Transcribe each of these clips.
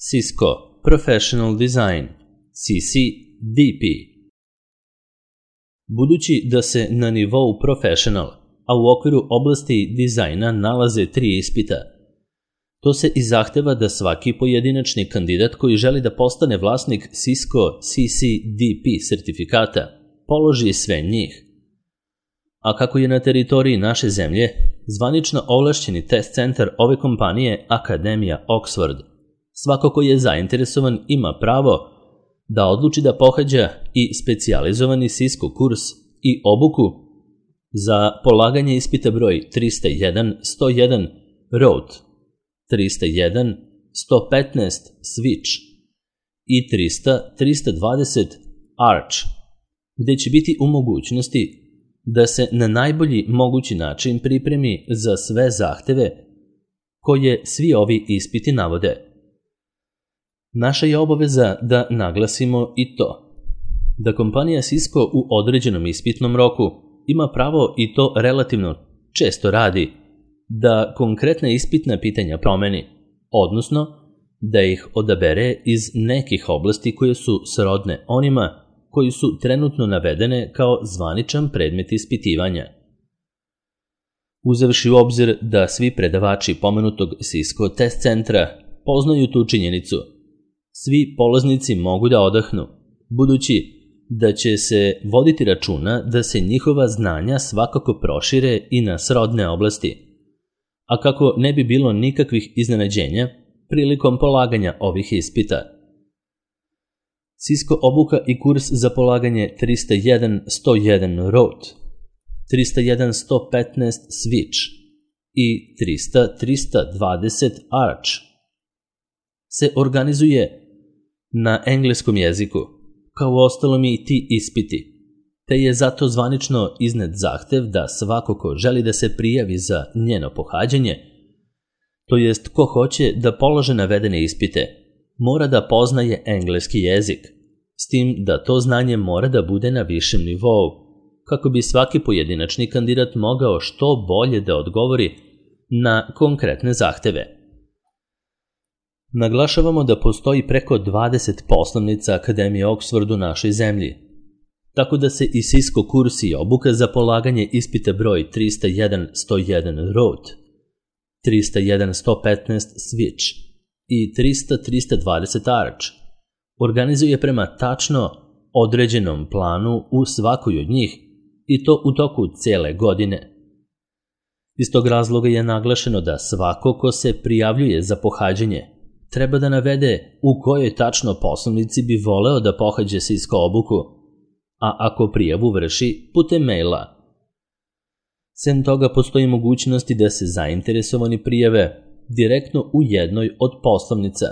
Cisco Professional Design, CCDP. Budući da se na nivou Professional, a u okviru oblasti dizajna nalaze 3 ispita, to se i zahteva da svaki pojedinačni kandidat koji želi da postane vlasnik Cisco CCDP sertifikata položi sve njih. A kako je na teritoriji naše zemlje, zvanično ovlašćeni test centar ove kompanije Akademija Oxford, svako ko je zainteresovan ima pravo da odluči da pohađa i specijalizovani Cisco kurs i obuku za polaganje ispita broj 301-101 Road, 301-115 Switch i 300-320 Arch, gde će biti u mogućnosti da se na najbolji mogući način pripremi za sve zahteve koje svi ovi ispiti navode. Naša je obaveza da naglasimo i to, da kompanija Cisco u određenom ispitnom roku ima pravo, i to relativno često radi, da konkretna ispitna pitanja promeni, odnosno da ih odabere iz nekih oblasti koje su srodne onima koji su trenutno navedene kao zvaničan predmet ispitivanja. Uzevši u obzir da svi predavači pomenutog Cisco test centra poznaju tu činjenicu, svi polaznici mogu da odahnu, budući da će se voditi računa da se njihova znanja svakako prošire i na srodne oblasti, a kako ne bi bilo nikakvih iznenađenja prilikom polaganja ovih ispita. Cisco obuka i kurs za polaganje 301-101 Road, 301-115 Switch i 300-320 Arch se organizuje na engleskom jeziku, kao ostalom i ti ispiti, te je zato zvanično iznet zahtev da svako ko želi da se prijavi za njeno pohađanje, to jest ko hoće da polaže navedene ispite, mora da poznaje engleski jezik, s tim da to znanje mora da bude na višem nivou, kako bi svaki pojedinačni kandidat mogao što bolje da odgovori na konkretne zahteve. Naglašavamo da postoji preko 20 poslovnica Akademije Oxford u našoj zemlji, tako da se i Cisco kurs i obuka za polaganje ispita broj 301-101 Road, 301-115 Switch i 300-320 Arch organizuje prema tačno određenom planu u svakoj od njih, i to u toku cele godine. Iz tog razloga je naglašeno da svako ko se prijavljuje za pohađanje treba da navede u kojoj tačno poslovnici bi voleo da pohađe Cisco obuku, a ako prijavu vrši putem maila. Sem toga postoji mogućnosti da se zainteresovani prijave direktno u jednoj od poslovnica,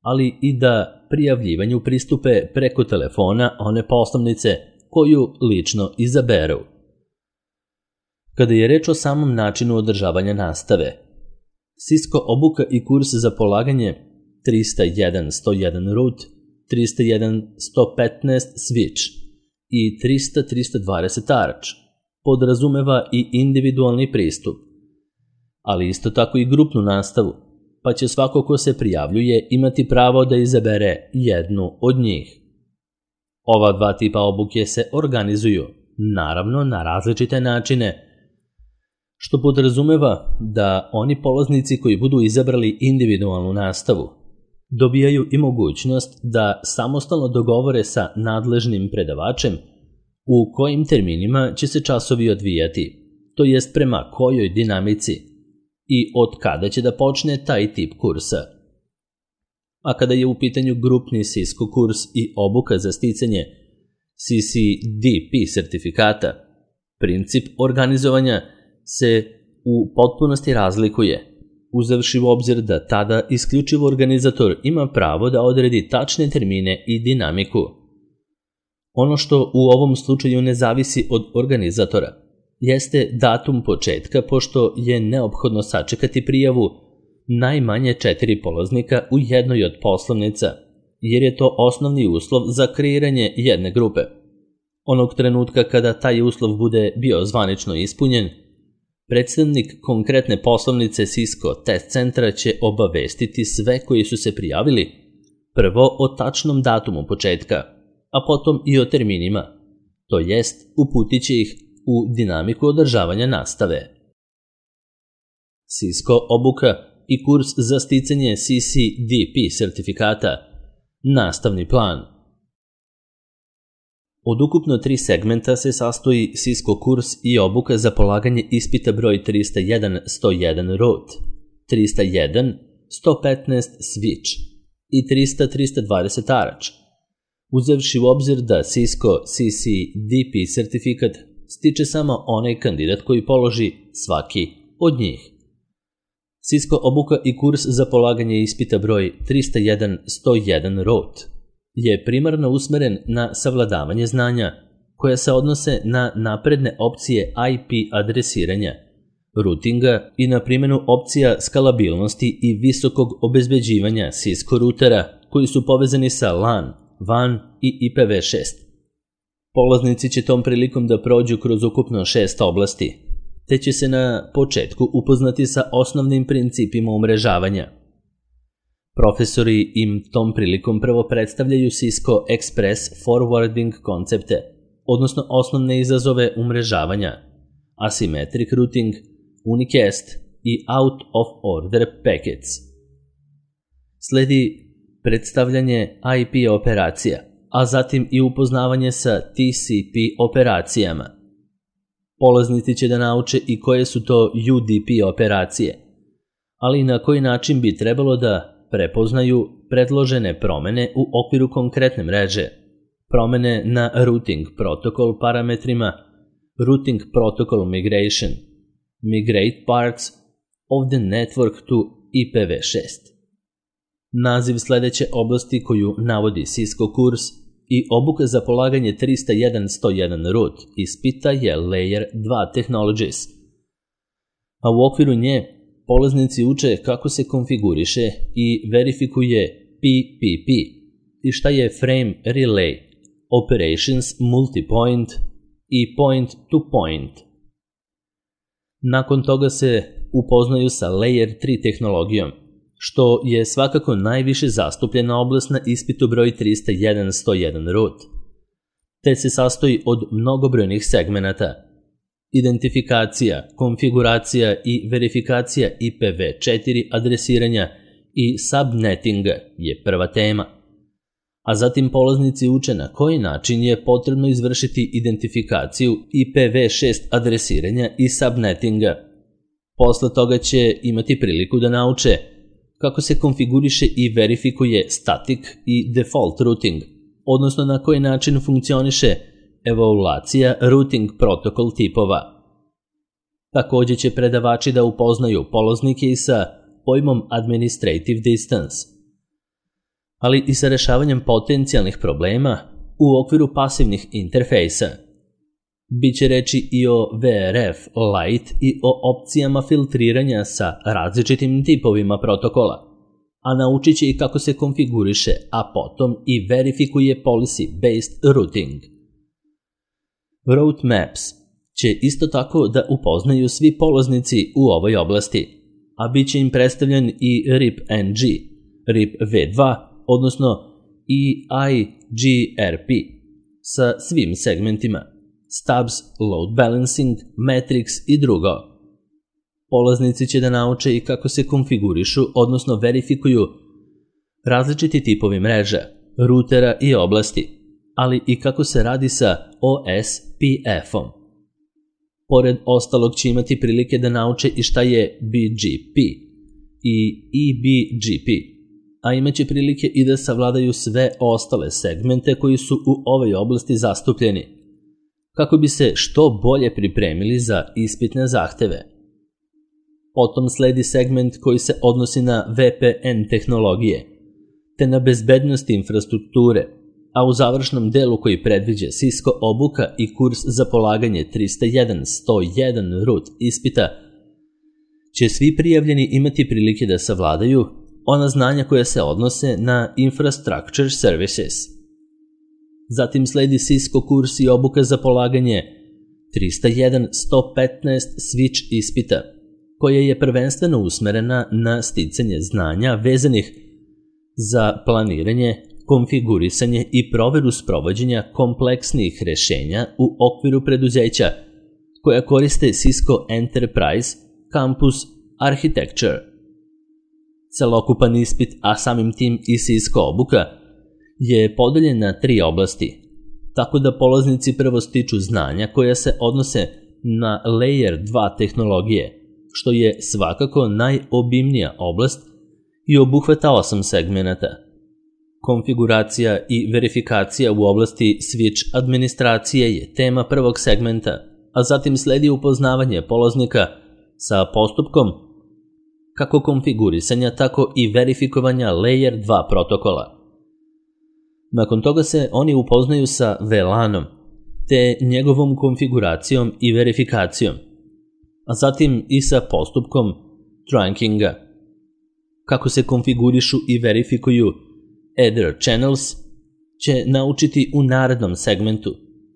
ali i da prijavljivanju pristupe preko telefona one poslovnice koju lično izaberu. Kada je reč o samom načinu održavanja nastave, Cisco obuka i kurs za polaganje 301-101 Road, 301-115 Switch i 300-320 Arch podrazumeva i individualni pristup, ali isto tako i grupnu nastavu, pa će svako ko se prijavljuje imati pravo da izabere jednu od njih. Ova dva tipa obuke se organizuju, naravno, na različite načine, što podrazumeva da oni polaznici koji budu izabrali individualnu nastavu dobijaju i mogućnost da samostalno dogovore sa nadležnim predavačem u kojim terminima će se časovi odvijati, to jest prema kojoj dinamici i od kada će da počne taj tip kursa. A kada je u pitanju grupni Cisco kurs i obuka za sticanje CCDP sertifikata, princip organizovanja se u potpunosti razlikuje, uzevši u obzir da tada isključivo organizator ima pravo da odredi tačne termine i dinamiku. Ono što u ovom slučaju ne zavisi od organizatora jeste datum početka, pošto je neophodno sačekati prijavu najmanje 4 polaznika u jednoj od poslovnica, jer je to osnovni uslov za kreiranje jedne grupe. Onog trenutka kada taj uslov bude bio zvanično ispunjen, predstavnik konkretne poslovnice Cisco test centra će obavestiti sve koji su se prijavili Prvo o tačnom datumu početka, a potom i o terminima, to jest uputit će ih u dinamiku održavanja nastave. Cisco obuka i kurs za sticanje CCDP sertifikata. Nastavni plan. Od ukupno 3 segmenta se sastoji Cisco kurs i obuka za polaganje ispita broj 301-101 root, 301-115 switch i 300-320 arač, uzevši u obzir da Cisco CCDP sertifikat stiče samo onaj kandidat koji položi svaki od njih. Cisco obuka i kurs za polaganje ispita broj 301-101 root je primarno usmeren na savladavanje znanja koja se odnose na napredne opcije IP adresiranja, routinga i na primjenu opcija skalabilnosti i visokog obezbeđivanja Cisco routera koji su povezani sa LAN, WAN i IPv6. Polaznici će tom prilikom da prođu kroz ukupno 6 oblasti, te će se na početku upoznati sa osnovnim principima umrežavanja. Profesori im tom prilikom prvo predstavljaju Cisco Express Forwarding koncepte, odnosno osnovne izazove umrežavanja, asymmetric routing, unicast i out of order packets. Sledi predstavljanje IP operacija, a zatim i upoznavanje sa TCP operacijama. Polaznici će da nauče i koje su to UDP operacije, ali i na koji način bi trebalo da prepoznaju predložene promene u okviru konkretne mreže, promene na routing protocol parametrima, routing protocol migration, migrate parts of the network to IPv6. Naziv sledeće oblasti koju navodi Cisco kurs i obuka za polaganje 301-101 root ispita je Layer 2 Technologies, a u okviru nje polaznici uče kako se konfiguriše i verifikuje PPP i šta je Frame Relay, Operations Multipoint i Point to Point. Nakon toga se upoznaju sa Layer 3 tehnologijom, što je svakako najviše zastupljena oblast na ispitu broj 301-101 root, te se sastoji od mnogobrojnih segmenata. Identifikacija, konfiguracija i verifikacija IPv4 adresiranja i subnettinga je prva tema, a zatim polaznici uče na koji način je potrebno izvršiti identifikaciju IPv6 adresiranja i subnettinga. Posle toga će imati priliku da nauče kako se konfiguriše i verifikuje static i default routing, odnosno na koji način funkcioniše evaluacija routing protokol tipova. Takođe će predavači da upoznaju polaznike i sa pojmom administrative distance, ali i sa rešavanjem potencijalnih problema u okviru pasivnih interfejsa. Biće reči i o VRF Lite i o opcijama filtriranja sa različitim tipovima protokola, a naučit će i kako se konfiguriše, a potom i verifikuje policy-based routing. Roadmaps će isto tako da upoznaju svi polaznici u ovoj oblasti, a bit će im predstavljen i RIP-NG, RIP-V2, odnosno EIGRP, sa svim segmentima, stubs, load balancing, metrics i drugo. Polaznici će da nauče i kako se konfigurišu, odnosno verifikuju različiti tipovi mreža, rutera i oblasti, ali i kako se radi sa OSPF-om. Pored ostalog će imati prilike da nauče i šta je BGP i EBGP, a imaće prilike i da savladaju sve ostale segmente koji su u ovoj oblasti zastupljeni, kako bi se što bolje pripremili za ispitne zahteve. Potom sledi segment koji se odnosi na VPN tehnologije, te na bezbednost infrastrukture, a u završnom delu koji predviđa Cisco obuka i kurs za polaganje 301-101 root ispita, će svi prijavljeni imati prilike da savladaju ona znanja koja se odnose na Infrastructure Services. Zatim sledi Cisco kurs i obuka za polaganje 301-115 switch ispita, koja je prvenstveno usmerena na sticanje znanja vezanih za planiranje, konfigurisanje i proveru sprovođenja kompleksnih rešenja u okviru preduzeća koja koriste Cisco Enterprise Campus Architecture. Celokupan ispit, a samim tim i Cisco obuka, je podeljen na 3 oblasti, tako da polaznici prvo stiču znanja koja se odnose na Layer 2 tehnologije, što je svakako najobimnija oblast i obuhvata 8 segmenata. Konfiguracija i verifikacija u oblasti switch administracije je tema prvog segmenta, a zatim sledi upoznavanje polaznika sa postupkom kako konfigurisanja, tako i verifikovanja Layer 2 protokola. Nakon toga se oni upoznaju sa VLAN-om, te njegovom konfiguracijom i verifikacijom, a zatim i sa postupkom trunkinga, kako se konfigurišu i verifikuju Ether channels, će naučiti u narednom segmentu,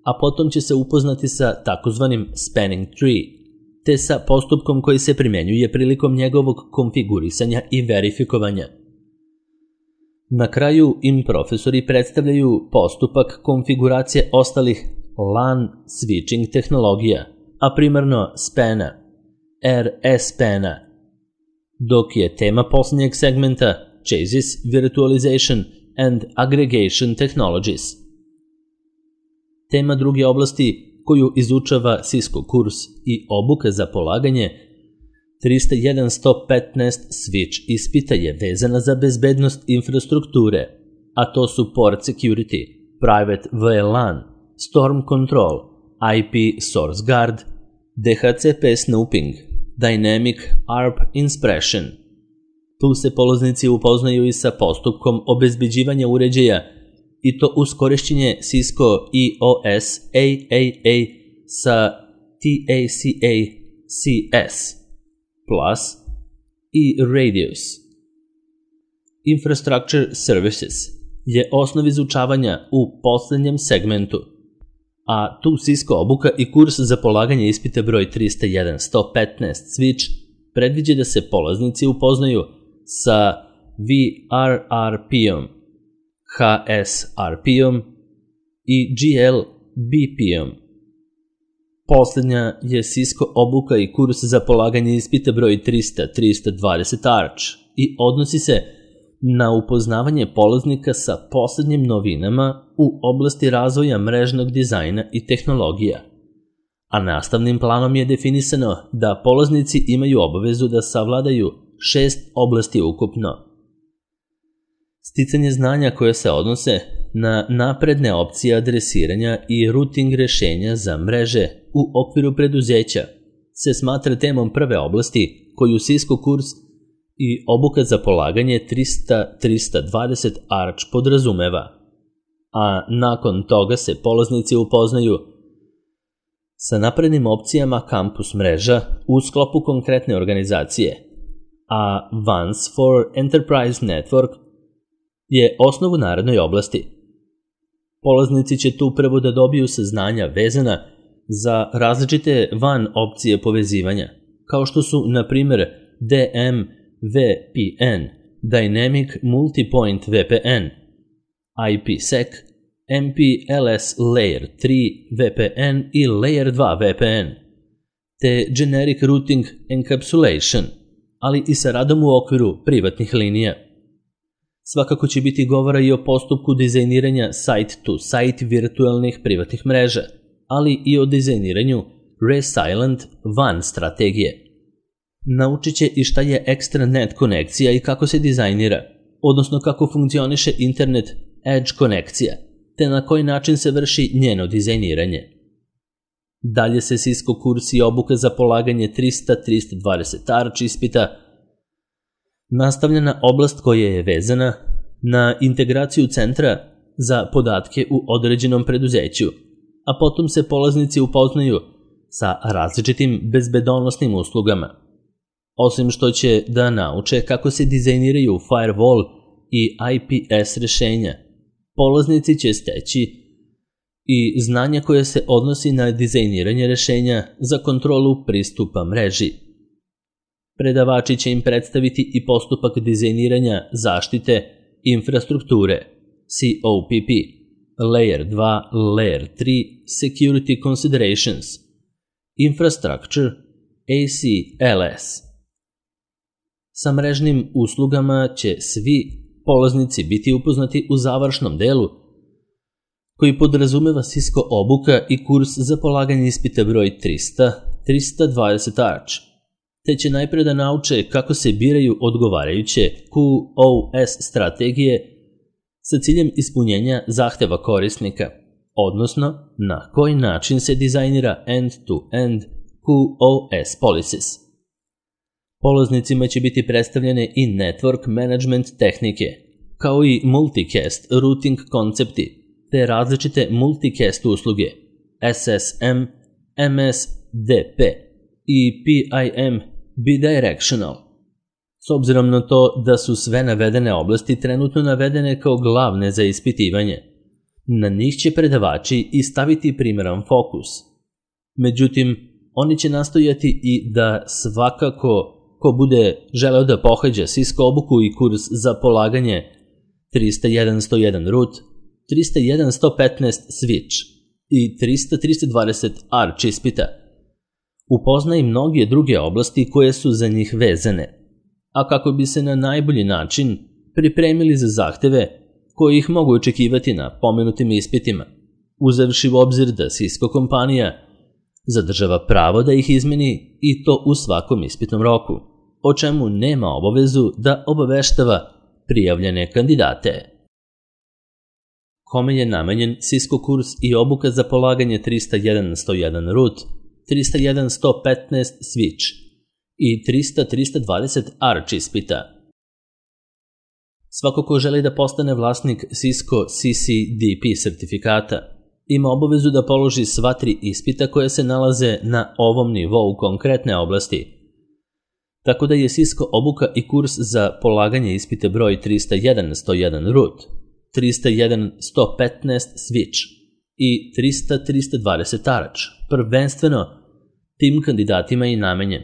a potom će se upoznati sa takozvanim spanning tree, te sa postupkom koji se primjenjuje prilikom njegovog konfigurisanja i verifikovanja. Na kraju im profesori predstavljaju postupak konfiguracije ostalih LAN switching tehnologija, a primarno SPAN-a, RS-PAN-a, dok je tema poslednjeg segmenta Chassis Virtualization and Aggregation Technologies. Tema druge oblasti koju izučava Cisco kurs i obuka za polaganje 301.115 switch ispita je vezana za bezbednost infrastrukture, a to su Port Security, Private VLAN, Storm Control, IP Source Guard, DHCP Snooping, Dynamic ARP Inspection. Tu se polaznici upoznaju i sa postupkom obezbeđivanja uređaja, i to uz korišćenje Cisco EOS AAA sa TACACS Plus i Radius. Infrastructure Services je osnov izučavanja u poslednjem segmentu, a tu Cisco obuka i kurs za polaganje ispita broj 301.115 switch predviđa da se polaznici upoznaju sa VRRP-om, HSRP-om i GLBP-om. Poslednja je Cisco obuka i kurs za polaganje ispita broj 300.320 Arch i odnosi se na upoznavanje polaznika sa poslednjim novinama u oblasti razvoja mrežnog dizajna i tehnologija. A nastavnim planom je definisano da polaznici imaju obavezu da savladaju 6 oblasti ukupno. Sticanje znanja koje se odnose na napredne opcije adresiranja i routing rešenja za mreže u okviru preduzeća se smatra temom prve oblasti koju Cisco kurs i obuka za polaganje 300.320 Arch podrazumeva, a nakon toga se polaznici upoznaju sa naprednim opcijama kampus mreža u sklopu konkretne organizacije, a VANS for Enterprise Network je osnov u narednoj oblasti. Polaznici će tu prvo da dobiju saznanja vezana za različite WAN opcije povezivanja, kao što su, na primjer, DMVPN, Dynamic Multipoint VPN, IPsec, MPLS Layer 3 VPN i Layer 2 VPN, te Generic Routing Encapsulation, ali i sa radom u okviru privatnih linija. Svakako će biti govora i o postupku dizajniranja site-to-site virtualnih privatnih mreža, ali i o dizajniranju Resilient WAN strategije. Naučit će i šta je extranet konekcija i kako se dizajnira, odnosno kako funkcioniše internet edge konekcija, te na koji način se vrši njeno dizajniranje. Dalje se Cisco kurs i obuka za polaganje 300.320 Arch ispita nastavljena oblast koja je vezana na integraciju centra za podatke u određenom preduzeću, a potom se polaznici upoznaju sa različitim bezbedonosnim uslugama. Osim što će da nauče kako se dizajniraju firewall i IPS rešenja, polaznici će steći i znanja koje se odnosi na dizajniranje rešenja za kontrolu pristupa mreži. Predavači će im predstaviti i postupak dizajniranja zaštite infrastrukture, COPP, Layer 2, Layer 3, Security Considerations, Infrastructure, ACLS. Sa mrežnim uslugama će svi polaznici biti upoznati u završnom delu, koji podrazumeva Cisco obuka i kurs za polaganje ispita broj 320 Arch, te će najpre da nauče kako se biraju odgovarajuće QoS strategije sa ciljem ispunjenja zahteva korisnika, odnosno na koji način se dizajnira end-to-end QoS policies. Polaznicima će biti predstavljene i network management tehnike, kao i multicast routing koncepti, te različite multicast usluge SSM, MSDP i PIM bidirectional. S obzirom na to da su sve navedene oblasti trenutno navedene kao glavne za ispitivanje, na njih će predavači i staviti primeran fokus. Međutim, oni će nastojati i da svakako ko bude želeo da pohađa Cisco obuku i kurs za polaganje 301.101 root, 301.115 switch i 300.320 Arch ispita, upozna i mnoge druge oblasti koje su za njih vezane, a kako bi se na najbolji način pripremili za zahteve koji ih mogu očekivati na pomenutim ispitima, uzevši u obzir da Cisco kompanija zadržava pravo da ih izmeni i to u svakom ispitnom roku, o čemu nema obavezu da obaveštava prijavljene kandidate. Kome je namenjen Cisco kurs i obuka za polaganje 301.101 root, 301.115 switch i 300.320 Arch ispita? Svako ko želi da postane vlasnik Cisco CCDP sertifikata ima obavezu da položi sva 3 ispita koje se nalaze na ovom nivou konkretne oblasti. Tako da je Cisco obuka i kurs za polaganje ispita broj 301.101 root, 301.115 switch i 300.320 Arch prvenstveno tim kandidatima i namenjen.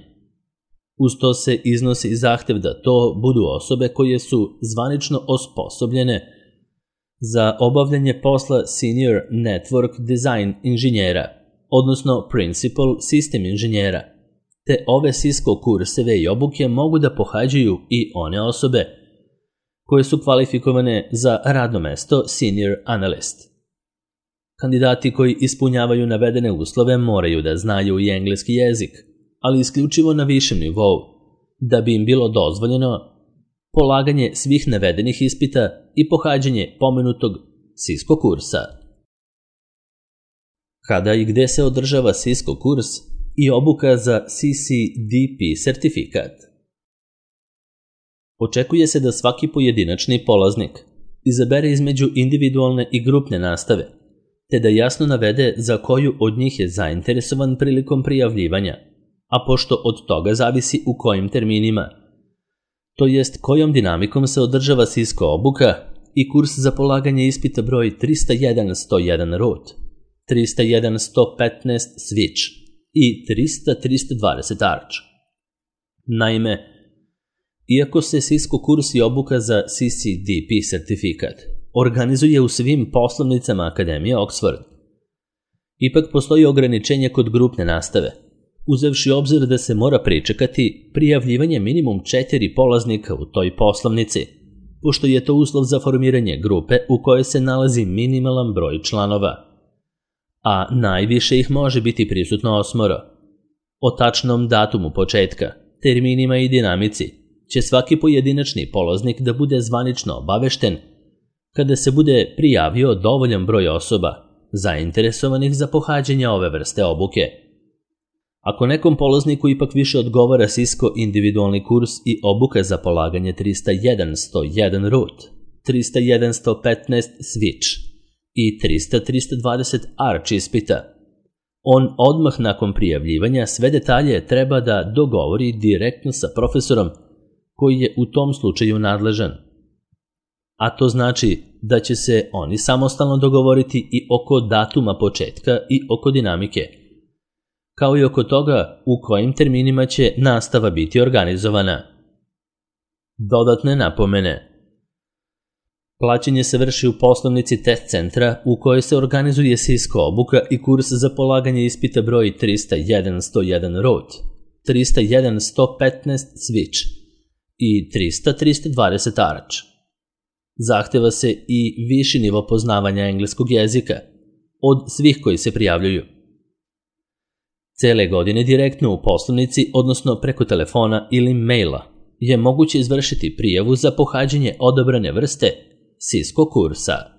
Uz to se iznosi zahtev da to budu osobe koje su zvanično osposobljene za obavljanje posla Senior Network Design inženjera, odnosno Principal System inženjera, te ove Cisco kurseve i obuke mogu da pohađaju i one osobe koje su kvalifikovane za radno mesto Senior Analyst. Kandidati koji ispunjavaju navedene uslove moraju da znaju i engleski jezik, ali isključivo na višem nivou, da bi im bilo dozvoljeno polaganje svih navedenih ispita i pohađanje pomenutog Cisco kursa. Kada i gde se održava Cisco kurs i obuka za CCDP sertifikat? Očekuje se da svaki pojedinačni polaznik izabere između individualne i grupne nastave, te da jasno navede za koju od njih je zainteresovan prilikom prijavljivanja, a pošto od toga zavisi u kojim terminima, to jest kojom dinamikom se održava Cisco obuka i kurs za polaganje ispita broj 301.101 root, 301.115 switch i 300.320 Arch. Naime, iako se Cisco kurs i obuka za CCDP sertifikat organizuje u svim poslovnicama Akademije Oxford, ipak postoji ograničenje kod grupne nastave, uzevši obzir da se mora pričekati prijavljivanje minimum 4 polaznika u toj poslovnici, pošto je to uslov za formiranje grupe u kojoj se nalazi minimalan broj članova, a najviše ih može biti prisutno 8. O tačnom datumu početka, terminima i dinamici će svaki pojedinačni polaznik da bude zvanično obavešten kada se bude prijavio dovoljan broj osoba zainteresovanih za pohađanje ove vrste obuke. Ako nekom polazniku ipak više odgovara Cisco individualni kurs i obuka za polaganje 301.101 root, 301.115 switch i 300.320 Arch ispita, on odmah nakon prijavljivanja sve detalje treba da dogovori direktno sa profesorom koji je u tom slučaju nadležan. A to znači da će se oni samostalno dogovoriti i oko datuma početka i oko dinamike, kao i oko toga u kojim terminima će nastava biti organizovana. Dodatne napomene. Plaćanje se vrši u poslovnici test centra u kojoj se organizuje Cisco obuka i kurs za polaganje ispita broj 301-101 root, 301-115 switch i 300-320 arač. Zahteva se i viši nivo poznavanja engleskog jezika od svih koji se prijavljuju. Cele godine direktno u poslovnici, odnosno preko telefona ili maila, je moguće izvršiti prijavu za pohađanje odabrane vrste Cisco kursa.